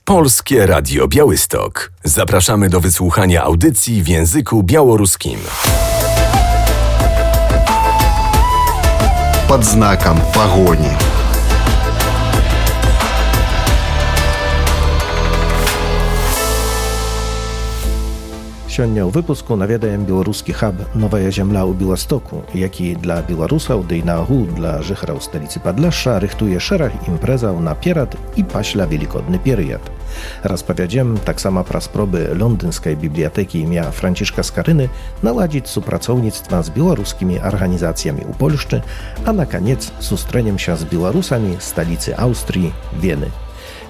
Polskie Radio Białystok. Zapraszamy do wysłuchania audycji w języku białoruskim. Под знаком погони. Сёння ў выпуску наведаем беларускі хаб «Новая зямля» ў Беластоку, які для беларусаў, ды і наогул для жыхараў сталіцы Падляшша рыхтуе шэраг імпрэзаў наперад і пасля велікодны перыяд. Распавядзем таксама пра спробы лондынскай бібліятэкі імя Францішка Скарыны наладзіць супрацоўніцтва з беларускімі арганізацыямі ў Польшчы, а на канец сустрэнемся з беларусамі сталіцы Аўстрыі Вены.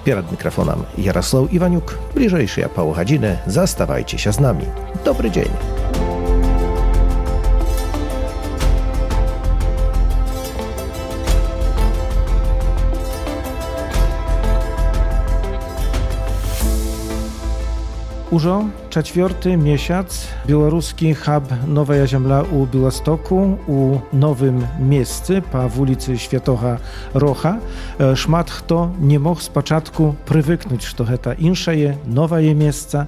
Перед микрофоном Ярослав Иванюк. Ближайшие полгодины заставайтесь с нами. Добрый день. Ужо czwarty miesiąc białoruski hub Nowa Ziemia u Białegostoku u nowym miejscu po ulicy Świętego Rocha. Szmat kto nie mógł z początku przywyknąć, że to insze nowe miejsce.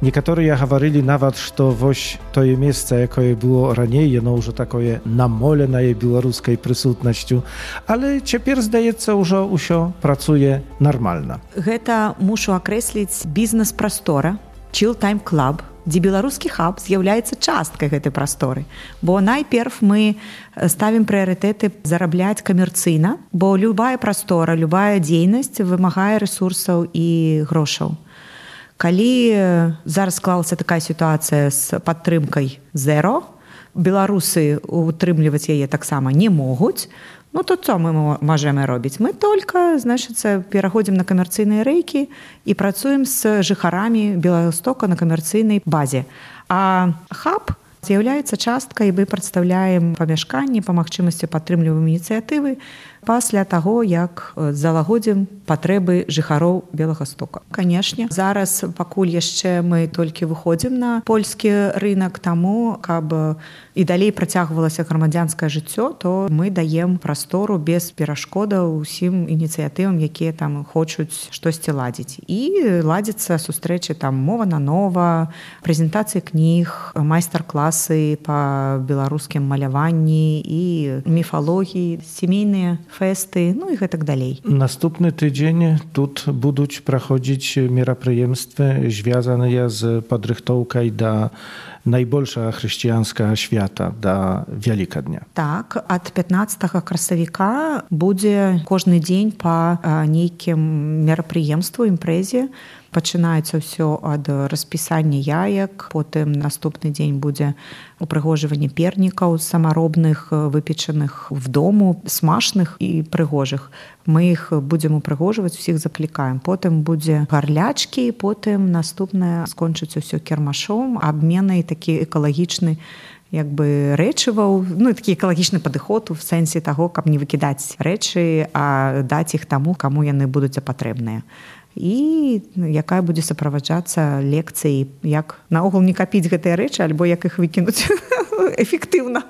Niektórzy mówili nawet, że woś to miejsce, jakie było raniej, no już takie namoleне białoruskiej присутностью, ale teraz zdaje się, że wszystko pracuje normalnie. To muszę określić biznes prostora. Chill Time Club, дзе беларускі хаб з'яўляецца часткай гэтай прасторы. Бо найперш мы ставім прыярытэты зарабляць камерцыйна, бо любая прастора, любая дзейнасць вымагае рэсурсаў і грошаў. Калі зараз склалася такая сітуацыя з падтрымкай зеро, беларусы утрымліваць яе таксама не могуць, ну, то co мы можем робіць? Мы только, пераходзім на камерцыйныя рэйкі і працуем з жыхарамі Беластока на камерцыйнай базе. А хаб з'яўляецца часткай, мы прадстаўляем памяшканні, па магчымасці падтрымліваем ініцыятывы пасля таго, як залагодзім патрэбы жыхароў Беластока. Канешне, зараз пакуль яшчэ мы толькі выходзім на польскі рынак, таму, каб і далей працягвалася грамадзянскае жыццё, то мы даем прастору без перашкодаў усім ініцыятывам, якія там хочуць штосьці ладзіць. І ладзяцца сустрэчы там мова на нова, прэзентацыі кніг, майстар-класы па беларускім маляванні і міфалогіі, сямейныя фэсты, ну і гэтак далей. Наступны тыдзень тут будуць праходзіць мерапрыемствы, звязаныя з падрыхтоўкай да найбольшага хрысціянскага свята, да Вялікадня. Так, ад 15 красавіка будзе кожны дзень па нейкім мерапрыемству, імпрэзе. Пачынаецца ўсё ад распісання яек, потым наступны дзень будзе упрыгожванне пернікаў самаробных, выпечаных в дому, смачных і прыгожых. Мы іх будзем упрыгожваць, усіх заклікаем. Потым будзе гарлячкі, потым наступнае скончыцца ўсё кірмашом, абменай такі экалагічны рэчываў, ну, такі экалагічны падыход у сэнсе таго, каб не выкідаць рэчы, а даць іх таму, каму яны будуць патрэбныя. І якая будзе суправаджацца лекцыяй, як наогул не капіць гэтыя рэчы, альбо як іх выкінуць эфектыўна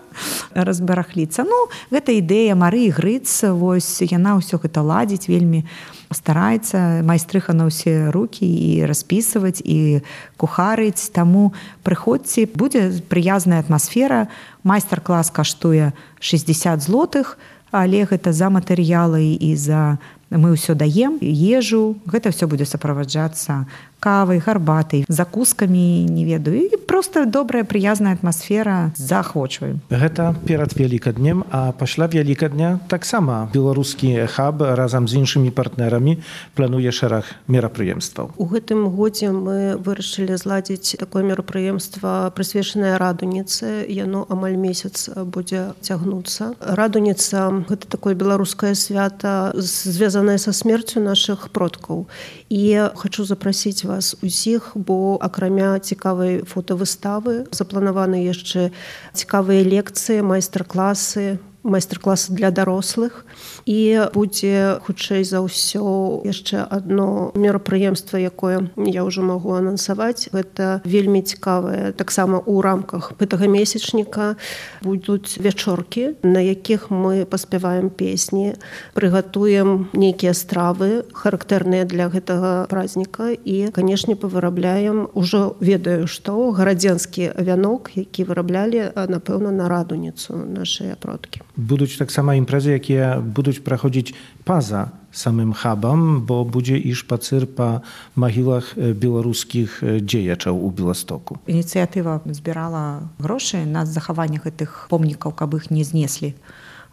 разбарахліцца. Ну, гэта ідэя Марыі Грыц, вось яна ўсё гэта ладзіць, вельмі стараецца, майстрыха на ўсе рукі і распісваць, і кухарыць. Таму прыходзьце, будзе прыязная атмасфера. Майстар-клас каштуе 60 злотых, але гэта за матэрыялы і за мы ўсё даем, ежу, гэта ўсё будзе суправаджацца кавай, гарбатай, закускамі, не ведаю, і проста добрая, прыязная атмасфера, заахвочваем. Гэта перад Вялікаднем, а пасля Вялікадня таксама беларускі хаб разам з іншымі партнерамі плануе шэраг мерапрыемстваў. У гэтым годзе мы вырашылі зладзіць такое мерапрыемства, прысвечанае радуніцы. Яно амаль месяц будзе цягнуцца. Радуніца – гэта такое беларускае свята, звязанае са смерцю нашых продкаў. І хочу запрасіць вас усіх, бо акрамя цікавай фотавыставы запланаваны яшчэ цікавыя лекцыі, майстар-класы, майстар-класы для дарослых. І будзе, хутчэй за ўсё, яшчэ адно мерапрыемства, якое я ўжо магу анансаваць. Гэта вельмі цікавае. Таксама ў рамках гэтага месячніка будуць вячоркі, на якіх мы паспяваем песні, прыгатуем нейкія стравы, характэрныя для гэтага праздніка і, канешне, павырабляем, ужо ведаю, што гарадзенскі вянок, які выраблялі, напэўна, на радуніцу нашыя продкі. Будуць таксама імпрэзы, якія будуць праходзіць па-за самым хабам, бо будзе і шпацыр па магілах беларускіх дзеячаў у Беластоку. Ініцыятыва збірала грошы на захаванне гэтых помнікаў, каб іх не знеслі.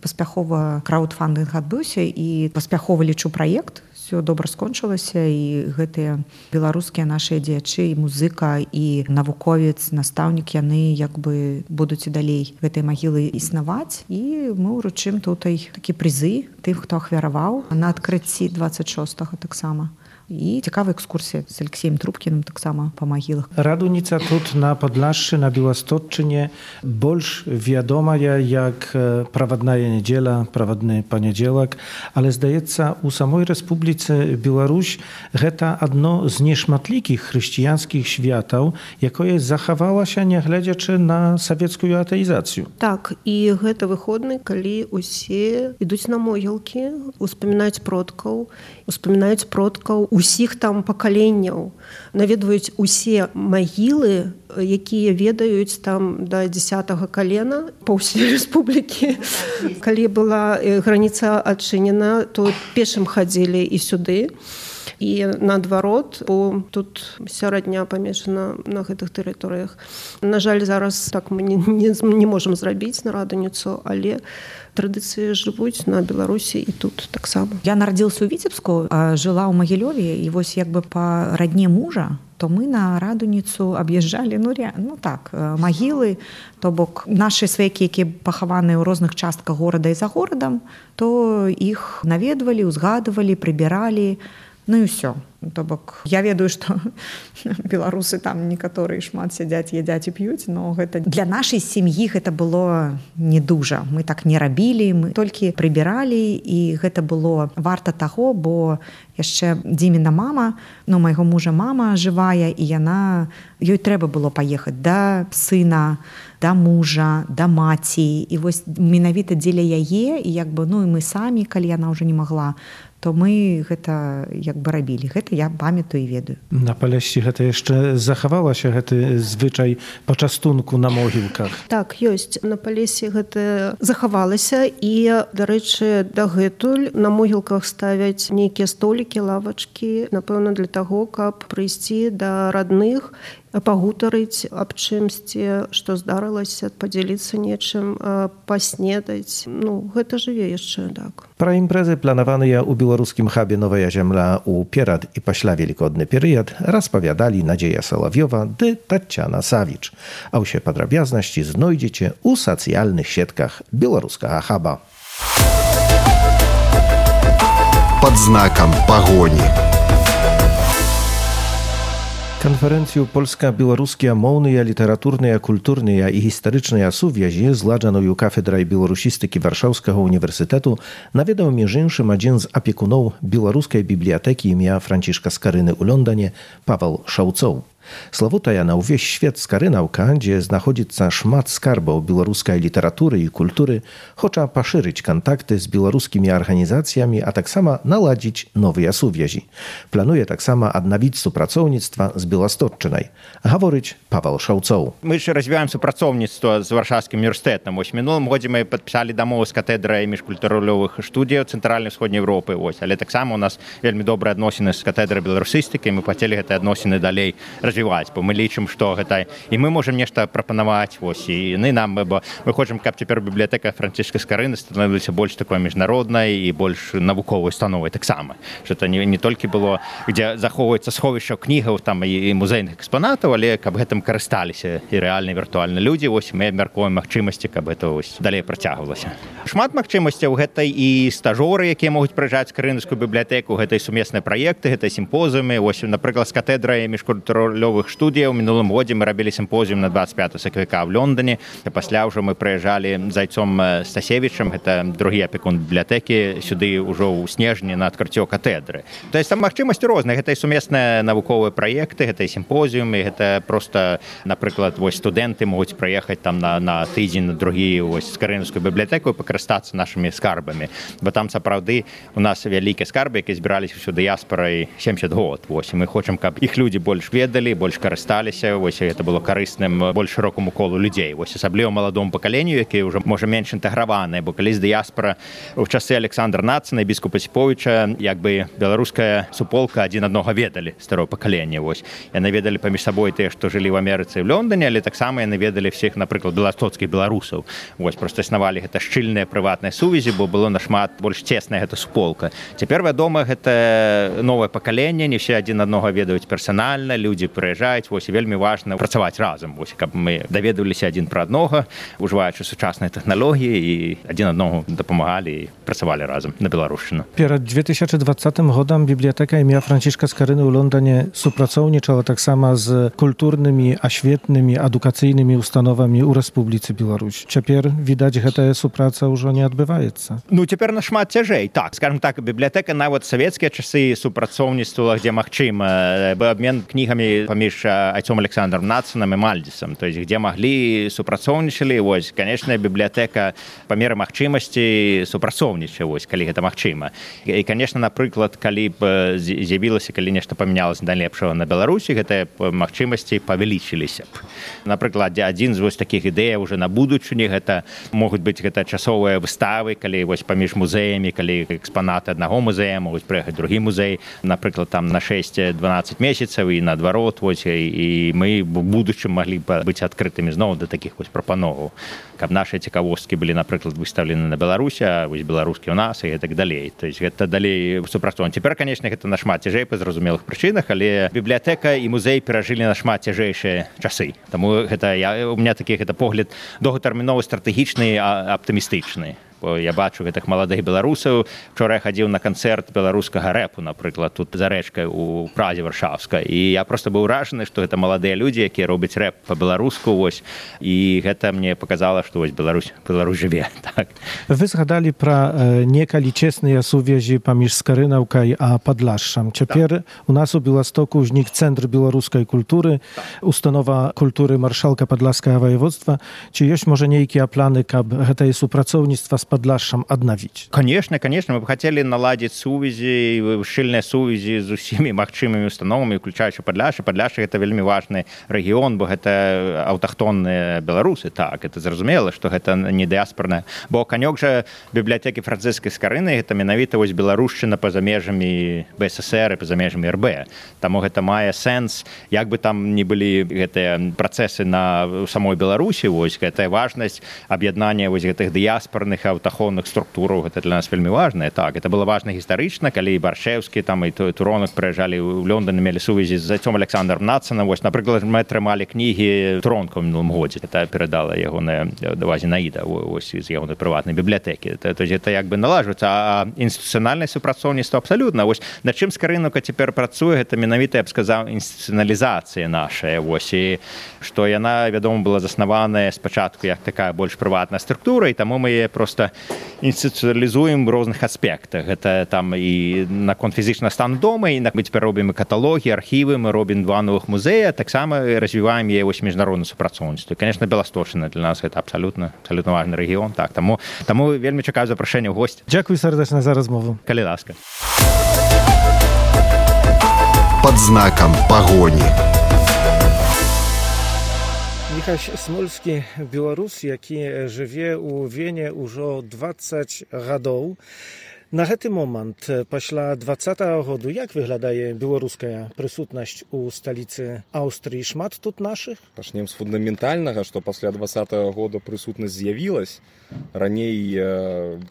Паспяхова краўдфандынг адбыўся і паспяхова, лічу, праект. Все добра скончылася, і гэтыя беларускія нашыя дзеячы, і музыка, і навуковец, настаўнік, яны як бы будуць і далей гэтай магілы існаваць. І мы ўручым тутай такі прызы тым, хто ахвяраваў на адкрыцці 26-го таксама. І цікавая экскурсія з Алексеем Трубкіным таксама па магілах. Радуніца тут на Падляшшы, на Беласточчыне больш вядомая як правадная нядзеля, правадны панядзелак, але, здаецца, у самой Рэспубліцы Беларусь гэта адно з нешматлікіх хрысціянскіх святаў, якое захавалася, нягледзячы на савецкую атэізацыю. Так, і гэта выходны, калі усе ідуць на могілкі, успамінаюць продкаў усіх там пакаленняў, наведваюць усе магілы, якія ведаюць там да 10-го калена па ўсёй рэспублікі. Калі была граніца адчынена, то пешым хадзілі і сюды, і наадварот, бо тут сярэдня памешана на гэтых тэрыторыях. На жаль, зараз так мы не можам зрабіць на радуніцу, але традыцыі жывуць на Беларусі і тут таксама. Я нарадзілася ў Віцебску, жыла ў Магілёве, і вось як бы па радне мужа, то мы на радуніцу аб'язджалі, магілы, то бок нашы сваякі, якія пахаваныя ў розных частках горада і за горадам, то іх наведвалі, узгадывалі, прыбіралі, ну і ўсё. То бок я ведаю, што беларусы там некаторыя шмат сядзяць, ядзяць і п'юць, но гэта для нашай сям'і гэта было не дужа. Мы так не рабілі, мы толькі прыбіралі, і гэта было варта таго, бо яшчэ Дзіміна мама, майго мужа мама жывая, і ёй трэба было паехаць да сына, да мужа, да маці, і вось менавіта дзеля яе, і як бы, і мы самі, калі яна ўжо не магла, то мы гэта як бы рабілі. Гэта я памятаю і ведаю. На Палешці гэта яшчэ захавалася, гэты звычай пачастунку на могілках? Так, ёсць. На Палесе гэта захавалася, і, дарэчы, дагэтуль на могілках ставяць нейкія столікі, лавачкі, напэўна, для таго, каб прыйсці да радных, пагутарыць аб чымсьці, што здарылася, падзяліцца нечым, паснедаць. Гэта жыве яшчэ, так. Пра імпрэзы, планаваныя ў беларускім хабе «Новая зямля» у перад і пасля велікодны перыяд, распавядалі Надзея Салавьёва ды Таццяна Савіч. А ўсе падрабязнасці знойдзеце ў сацыяльных сетках беларускага хаба. Пад знакам пагоні. Канферэнцыю польска-беларускія моўныя, літаратурныя, культурныя і гістарычныя сувязі, зладжаную кафедрай беларусістыкі Варшаўскага універсітэту, наведаў між іншым адзін з апекуноў беларускай бібліятэкі імя Францішка Скарыны ў Лондане Павел Шаўцоў. Славутая на ўвесь свет скарынаўка, дзе знаходзіцца шмат скарбаў беларускай літаратуры і культуры, хоча пашырыць кантакты з беларускімі арганізацыямі, а таксама наладзіць новыя сувязі. Плануе таксама аднавіць супрацоўніцтва з Беласточчынай. Гаворыць Павел Шаўцоў. Мы ж развіваем супрацоўніцтва з Варшаўскім універсітэтам. Вось мінулым годзе мы падпісалі дамову з катедрай міжкультурулёвых студыяў Цэнтральнай усходняй Еўропы. Але таксама у нас вельмі добрыя адносіны з катедрай беларусістыкі, мы хацелі гэтыя адносіны далей развіваць, бо мы лічым, што гэта і мы можам нешта прапанаваць, і яны нам, бо мы хочам, каб цяпер бібліятэка Францішка Скарыны становілася больш такой міжнароднай і больш навуковай установай таксама. Што это не толькі было, дзе захоўваецца сховішча кнігаў там і музейных экспанатаў, але каб гэтым карысталіся і рэальна віртуальна людзі. Мы абмяркоўваем магчымасці, каб гэта далей працягвалася. Шмат магчымасцяў, гэта і стажоры, якія могуць прыязджаць Скарынаўскую бібліятэку, гэта і сумесныя праекты, гэта сімпозіумы. Напрыклад, з катедрай міжкультурулёвых культурулёвых студыяў. Мінулым годзе мы рабілі сімпозіум на 25 сакавіка ў Лондоне. Пасля ўжо мы прыязджалі з Айцом Стасевічам, гэта другі апекун бібліятэкі, сюды ўжо ў снежні на адкрыццё катедры. То есть там магчымасці розныя, гэта і сумесныя навуковыя праекты, гэта і сімпозіумы, гэта проста, напрыклад, вось студэнты могуць прыехаць там на тыдзень, на другі вось Скарынаўскую бібліятэку і пакарыстацца нашымі скарбамі. Бо там сапраўды у нас вялікія скарбы, якія збіраліся ўсё дыяспорай 70 год. Вось, і мы хочам, каб іх людзі больш ведалі, больш карысталіся, вось, гэта было карысным больш шырокаму колу людзей. Вось, асабліва маладому пакаленню, якія ўжо, можа, менш інтэграваныя, бо калісь дыяспора ў часы Александра Нацана і біскупа Сіповіча, як бы беларуская суполка адзін аднаго ведалі старое пакаленне. Вось, яны ведалі паміж сабой тыя, што жылі ў Амерыцы і ў Лондоне, але таксама яны ведалі всіх, напрыклад, беластоцкіх беларусаў. Вось, проста існавалі гэта шчыльныя прыватныя сувязі, бо было нашмат больш цесная гэта суполка. Цяпер, вядома, гэта новае пакаленне, не ўсе адзін аднаго ведаюць персанальна, людзі прыязджаюць, вось, і вельмі важна працаваць разам, вось, каб мы даведваліся адзін пра аднаго, ужываючы сучасныя тэхналогіі, і адзін аднаму дапамагалі і працавалі разам на беларушчыну. Перад 2020 годам бібліятэка імя Францішка Скарыны ў Лондоне супрацоўнічала таксама з культурнымі, асветнымі, адукацыйнымі установамі ў Рэспубліцы Беларусь. Цяпер, відаць, гэтая супраца ўжо не адбываецца. Ну, цяпер нашмат цяжэй. Так, скажем так, бібліятэка нават савецкія часы супрацоўніцтвала, дзе магчыма, быў абмен кнігамі паміж Айцом Александром Нацанам і Мальдзісам, то есть, дзе маглі супрацоўнічалі, вось, канечна, бібліятэка па меры магчымасці супрацоўнічае, вось, калі гэта магчыма. І, канечна, напрыклад, калі б з'явілася, калі нешта памянялася да лепшага на Беларусі, гэтыя магчымасці павялічыліся б. Напрыклад, адзін з вось такіх ідэяў уже на будучыні, гэта могуць быць гэта часовыя выставы, калі вось паміж музеямі, калі экспанаты аднаго музея могуць прыехаць другі музей, напрыклад, там на 6-12 месяцаў і наадварот, вось, і мы в будучым маглі б быць адкрытымі зноў да такіх вось прапановаў, каб нашыя цікавосткі былі, напрыклад, выстаўлены на Беларусі, а вось беларускі ў нас і так далей. То есть гэта далей супрацоўніцтва. Цяпер, канечне, гэта нашмат цяжэй па зразумелых прычынах, але бібліятэка і музей перажылі нашмат цяжэйшыя часы. Таму гэта у меня такі гэта погляд доўгатэрміновы, стратэгічны, аптымістычны. Бо я бачу гэтых маладых беларусаў. Вчора я хадзіў на канцэрт беларускага рэпу, напрыклад, тут за рэчкай у Празе Варшаўскай. І я проста быў уражаны, што гэта маладыя людзі, якія робяць рэп па-беларуску, вось. І гэта мне паказала, што вось Беларусь жыве. Так. Вы згадалі пра некалі чесныя сувязі паміж Скарынаўкай а Падляшшам. Цяпер у нас у Беластоку ўзнік Цэнтр беларускай культуры, установа культуры маршалка Падляшскага воеводства. Ці ёсць, можа, нейкія планы, каб гэтае супрацоўніцтва з Падляшшам аднавіць? Конечно, мы бы хотели наладить сувязі, шчыльныя сувязі з усімі магчымымі установамі, уключаючы Падляшша. Падляшша — гэта вельмі важны рэгіён, бо гэта аўтахтонныя беларусы. Так, это зразумела, што гэта не дыяспорная. Бо канёк жа бібліятэкі Францыскай Скарыны — гэта менавіта вось беларушчына па-за межамі БССР і па-за межамі РБ. Таму гэта мае сэнс, як бы там ні былі гэтыя працэсы на самой Беларусі, вось гэтая важнасць аб'яднання вось гэтых дыяспорных аўтахонных структураў, гэта для нас вельмі важна. Так, это было важна гістарычна, калі і Баршэўскі там і Туронак прыязджалі ў Лондон, мелі сувязі з Айцом Александром Нацанам. Вось, напрыклад, мы атрымалі кнігі Туронка ў мінулым годзе. Это перадала ягоная Зінаіда вось з ягонай прыватнай бібліятэкі. То есть это як бы налажваецца, а інстытуцыянальнае супрацоўніцтва абсалютна. Вось над чым Скарынаўка цяпер працуе, гэта менавіта, я б сказаў, інстытуцыяналізацыя нашая. Вось, і што яна, вядома, была заснаваная спачатку як такая больш прыватная структура, і таму мы яе проста інстытуцыялізуем у розных аспектах. Гэта там і наконт фізічнага стану дома, і мы цяпер робім каталогі, архівы, мы робім 2 новых музея, таксама развіваем яе вось міжнароднае супрацоўніцтва. І, конечно, Беласточчына для нас гэта абсалютна важны рэгіён. Так, таму вельмі чакаю запрашэння ў госць. Дзякуй сардэчна за размову. Калі ласка. Пад знакам пагоні. Міхась Смольскі, беларус, які жыве ў Вене ўжо 20 гадоў. На гэты момант, пасля 20-го году, як выглядае беларуская прысутнасць у сталіцы Аўстрыі? Шмат тут нашых? Пачнем з фундаментальнага, што пасля 20-го года прысутнасць з'явілась. Раней,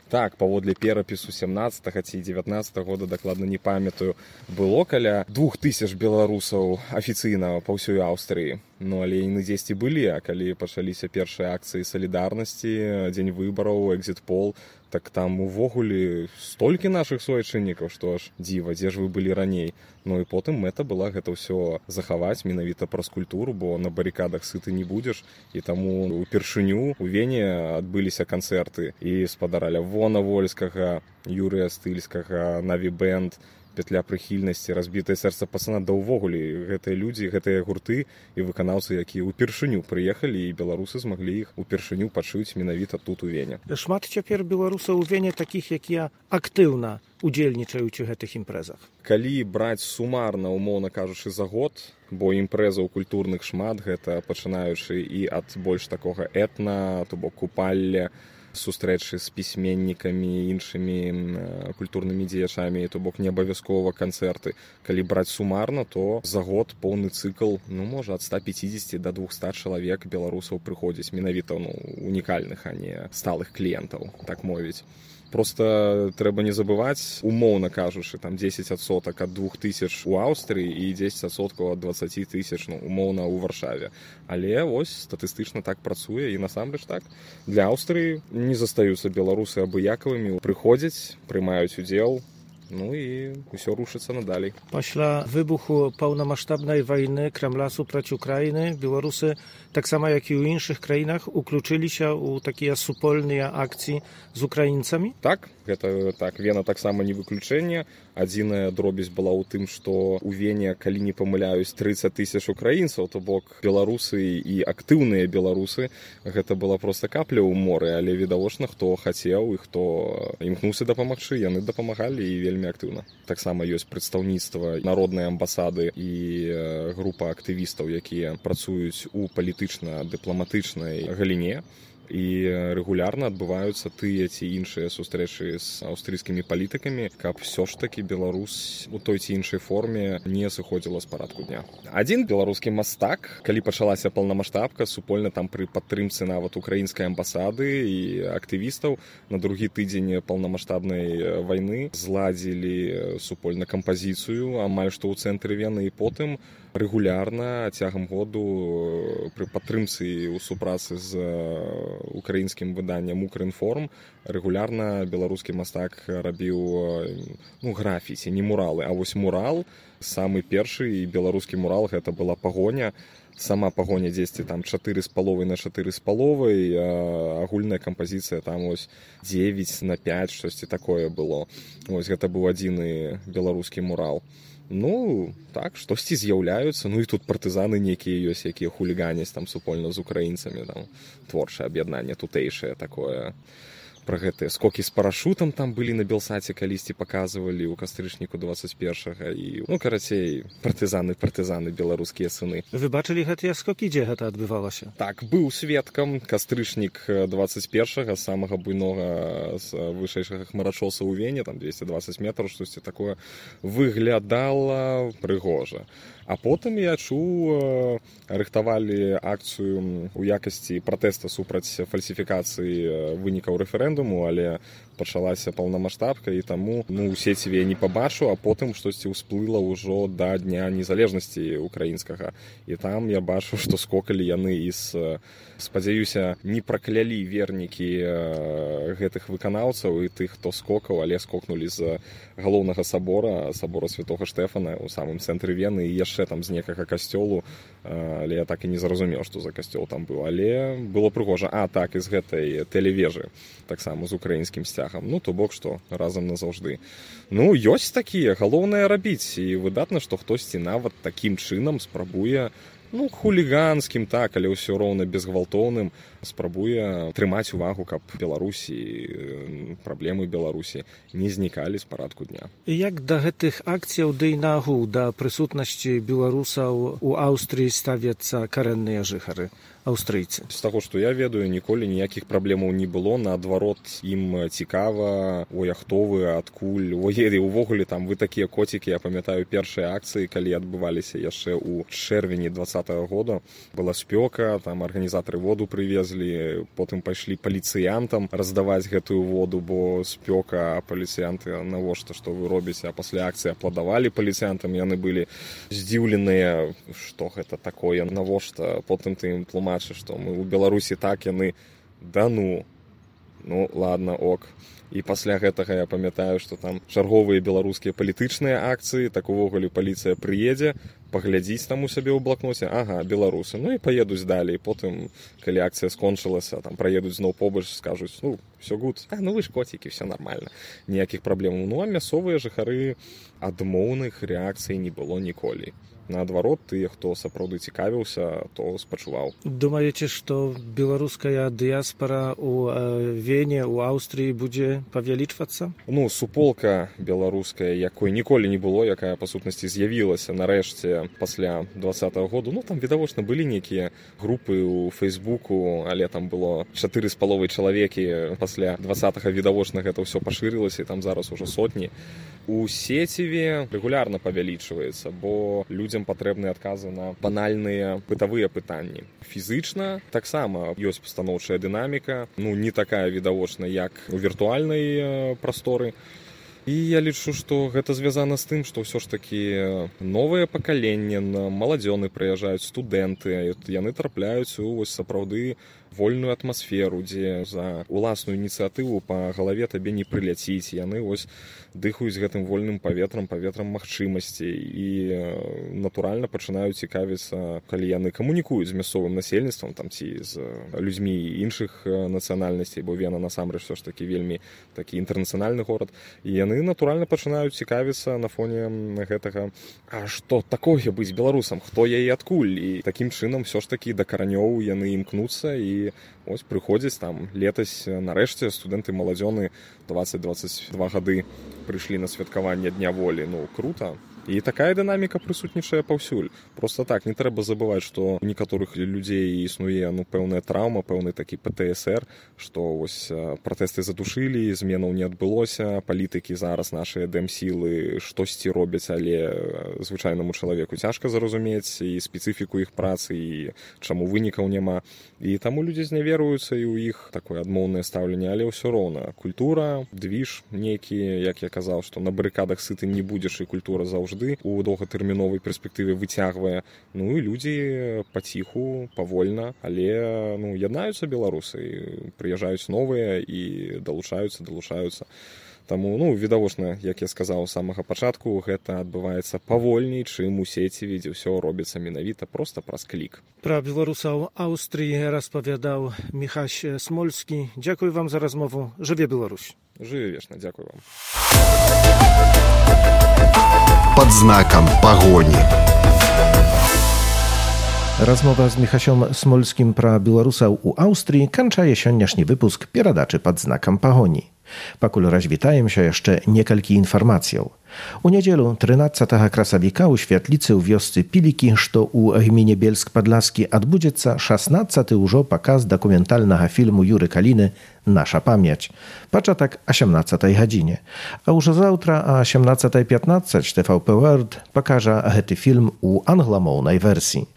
так, паводле перапісу 17-го ці 19-го года, дакладна не памятаю, было каля 2000 беларусаў афіцыйна па ўсёй Аўстрыі. Ну, але яны дзесьці былі, а калі пачаліся першыя акцыі салідарнасці, дзень выбараў, экзіт-пол, так там увогуле столькі нашых суайчыннікаў, што аж дзіва, дзе ж вы былі раней. Ну і потым мэта была гэта ўсё захаваць менавіта праз культуру, бо на барыкадах сыты не будзеш, і таму упершыню у Вене адбыліся канцэрты і спадара Лявона Вольскага, Юрыя Стыльскага, Наві Бэнд, Петля прыхільнасці, разбітае сэрца пацана, да ўвогуле гэтыя людзі, гэтыя гурты і выканаўцы, якія ўпершыню прыехалі, і беларусы змаглі іх упершыню пачуць менавіта тут у Вене. Шмат цяпер беларусаў у Вене такіх, якія актыўна удзельнічаюць у гэтых імпрэзах. Калі браць сумарна, умоўна кажучы, за год, бо імпрэзаў культурных шмат, гэта пачынаючы і ад больш такога этна, то бок купалля, сустрэчы з пісьменнікамі, іншымі культурнымі дзеячамі, то бок не абавязкова канцэрты. Калі браць сумарна, то за год поўны цыкл, можа ад 150 до 200 чалавек беларусаў прыходзіць, менавіта унікальных, а не сталых кліентаў, так мовіць. Просто трэба не забываць, умоўна кажучы, там 10% ад 2000 у Аўстрыі і 10% ад 20 000, умоўна, у Варшаве. Але ось статыстычна так працуе, і насамрэч так. Для Аўстрыі не застаюцца беларусы абыякавымі, прыходзяць, прымаюць удзел, і ўсё рушыцца надалей. Пасля выбуху паўнамаштабнай вайны Крамля супраць Украіны беларусы, таксама як і ў іншых краінах, уключыліся ў такія супольныя акцыі з украінцамі? Так, гэта так. Вена таксама не выключэнне. Адзіная дробязь была ў тым, што ў Вене, калі не памыляюсь, 30 000 украінцаў, то бок беларусы і актыўныя беларусы, гэта была проста капля ў моры, але відавочна, хто хацеў і хто імкнуўся дапамагчы, яны дапамагалі і вельмі актыўна. Таксама ёсць прадстаўніцтва народнай амбасады і група актывістаў, якія працуюць у палітычна-дыпламатычнай галіне, і рэгулярна адбываюцца тыя ці іншыя сустрэчы з аўстрыйскімі палітыкамі, каб ўсё ж такі Беларусь у той ці іншай форме не сыходзіла з парадку дня. Адзін беларускі мастак, калі пачалася паўнамаштабка, супольна там пры падтрымцы нават украінскай амбасады і актывістаў, на другі тыдзень паўнамаштабнай вайны зладзілі супольна кампазіцыю амаль што ў цэнтры Вены, і потым рэгулярна цягам году пры падтрымцы ў супрацы з украінскім выданнем «Укрінформ» рэгулярна беларускі мастак рабіў графіці, не муралы, а вось мурал, самы першы беларускі мурал, гэта была пагоня. Сама пагоня дзесьці там 4,5 на 4,5, агульная кампазіцыя там ось 9 на 5, штосьці такое было. Ось гэта быў адзіны беларускі мурал. Так, штосьці з'яўляюцца, і тут партызаны нейкія ёсць, якія хуліганяць там супольна з украінцамі, там творчае аб'яднанне тутэйшае такое. Пра гэтыя скокі з парашутам там былі на Белсаце, калісьці паказвалі ў кастрычніку 21-га, і, карацей, партызаны, беларускія сыны. Вы бачылі гэтыя скокі, дзе гэта адбывалася? Так, быў сведкам. Кастрычнік 21-га, самага буйнога з вышэйшага хмарачоса ў Вене, там 220 метраў, штосьці такое, выглядала прыгожа. А потым я чуў, рыхтавалі акцыю ў якасці пратэста супраць фальсіфікацыі вынікаў рэферэндуму, але пачалася паўнамаштабка, і таму у сеціве я не пабачу, а потым штосьці ўсплыла ўжо да Дня незалежнасці украінскага. І там я бачу, што скокалі яны і спадзяюся, не праклялі вернікі гэтых выканаўцаў і тых, хто скокаў, але скокнулі з галоўнага сабора Святога Штэфана ў самым цэнтры Вены, і яшчэ там з некага касцёлу, але я так і не зразумеў, што за касцёл там быў, але было прыгожа. Так, і з гэтай тэлевежы, таксама з украінскім сцягам, то бок што, разам назаўжды. Ёсць такія, галоўнае рабіць, і выдатна, што хтосьці нават такім чынам спрабуе, хуліганскім, так, але ўсё роўна безгвалтоўным, спрабуе трымаць увагу, каб Беларусі, праблемы Беларусі не знікалі з парадку дня. Як да гэтых акцыяў ды нагул, да прысутнасці беларусаў у Аўстрыі ставяцца карэнныя жыхары, аўстрыйцы? З таго, што я ведаю, ніколі ніякіх праблемаў не было, наадварот, ім цікава, ой, а хто вы, адкуль, увогуле там вы такія коцікі, я памятаю першыя акцыі, калі адбываліся яшчэ ў чэрвені 2020 2020 года была спёка, там арганізатары воду прывезлі, потым пайшлі паліцыянтам раздаваць гэтую воду, бо спёка, а паліцыянты навошта, што вы робіце, а пасля акцыі апладавалі паліцыянтам, яны былі здзіўленыя, што гэта такое, навошта, потым ты ім тлумачыш, што мы ў Беларусі так, яны да ну ладно, ок. І пасля гэтага я памятаю, што там чарговыя беларускія палітычныя акцыі, так увогуле паліцыя прыедзе, паглядзіць там у сябе ў блакноце, ага, беларусы, ну і паедуць далей. Потым, калі акцыя скончылася, там праедуць зноў побач, скажуць, все гуд, вы ж коцікі, все нормально, ніякіх праблемаў. А мясцовыя жыхары адмоўных рэакцый не было ніколі. Наадварот, тыя, хто сапраўды цікавіўся, то спачуваў. Думаеце, што беларуская дыяспара ў Вене, у Аўстрыі будзе павялічвацца? Суполка беларуская, якой ніколі не было, якая, па сутнасці, з'явілася нарэшце пасля 2020 году. Там, відавочна, былі нейкія групы ў Фейсбуку, але там было 4,5 чалавекі. Пасля 20-га, відавочна, гэта ўсё пашырылася, і там зараз ужо сотні. У сеціве рэгулярна павялічваецца, бо людзям патрэбныя адказы на банальныя бытавыя пытанні. Фізычна таксама ёсць пастаноўчая дынаміка, не такая відавочна, як у віртуальнай прасторы. І я лічу, што гэта звязана з тым, што ўсё ж такі новае пакаленне, маладзёны прыязджаюць, студэнты, яны трапляюць у сапраўды вольную атмасферу, дзе за уласную ініцыятыву па галаве табе не прыляціць. Яны дыхаюць гэтым вольным паветрам магчымасцей і натуральна пачынаюць цікавіцца, калі яны камунікуюць з мясцовым насельніцтвам ці з людзьмі іншых нацыянальнасцей, бо Вена насамрэч все ж такі вельмі такі інтэрнацыянальны горад. І яны натуральна пачынаюць цікавіцца на фоне гэтага, а што такое быць беларусам, хто я і адкуль. І такім чынам все ж такі да каранёў яны імкнуцца і прыходзяць там летась, нарэшце студэнты маладзёны 20-22 гады прыйшлі на святкаванне Дня волі. Крута. І такая дынаміка прысутнічае паўсюль. Проста так, не трэба забываць, што у некаторых людзей існуе пэўная траўма, пэўны такі ПТСР, што пратэсты задушылі, зменаў не адбылося, палітыкі зараз нашыя дэмсілы штосьці робяць, але звычайнаму чалавеку цяжка зразумець і спецыфіку іх працы, і чаму вынікаў няма. І таму людзі зняверуюцца, і ў іх такое адмоўнае стаўленне, але ўсё роўна. Культура, двіж нейкі, як я казаў, што на барыкадах сыты не будзеш, і культура заўжды у доўгатэрміновай перспектыве выцягвае. І людзі паціху, павольна, але яднаюцца беларусы, прыязджаюць новыя і далучаюцца. Таму, відавочна, як я сказаў з самага пачатку, гэта адбываецца павольней, чым у сеціве, дзе ўсё робіцца менавіта проста праз клік. Пра беларусаў Аўстрыі распавядаў Міхась Смольскі. Дзякуй вам за размову. Жыве Беларусь. Жыве вечна, дзякуй вам. Под знаком пагоні. Размова з Міхасем Смольскім пра беларусаў у Аўстрыі канчае сённяшні выпуск перадачы пад знакам пагоні. Пакуль развітаемся, яшчэ некалькі інфармацыяў. У нядзелю 13 красавіка ў святліцы ў вёсцы Пілікі, што ў гміне Бельск-Падласкі, адбудзецца 16-ы ўжо паказ дакументальнага фільму Юры Каліны «Наша памяць». Пачатак о 17-й гадзіне. А ўжо заўтра о 17:15 TVP World пакажа гэты фільм у англамоўнай версіі.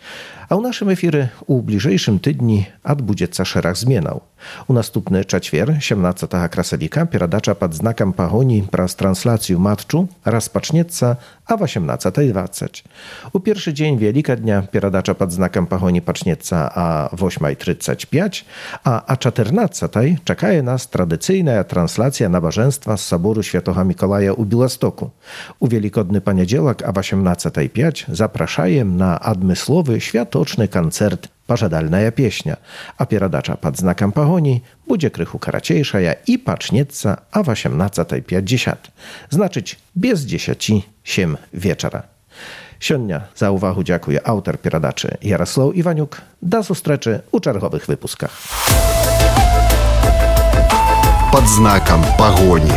А ў нашым эфіры ў бліжэйшым тыдні адбудзецца шэраг зменаў. У наступны чацвер, 17 красавіка, перадача пад знакам пагоні праз трансляцыю матчу распачнецца о 18:20. У першы дзень Вялікадня перадача пад знакам пагоні пачнецца о 8:35, а о 14:00 чакае нас традыцыйная трансляцыя набажэнства з сабору Святога Мікалая ў Беластоку. У велікодны панядзелак о 18:05 запрашаем на адмысловы святочны канцэрт «Пажадальная песня», а перадача пад знакам пагоні будзе крыху карацейшая і пачнецца о 18:50. Значыць, без 10:07 вечара. Сёння за ўвагу дзякуе аўтар перадачы Яраслаў Іванюк. Да сустрэчы ў чарговых выпусках. Под знаком пагоні.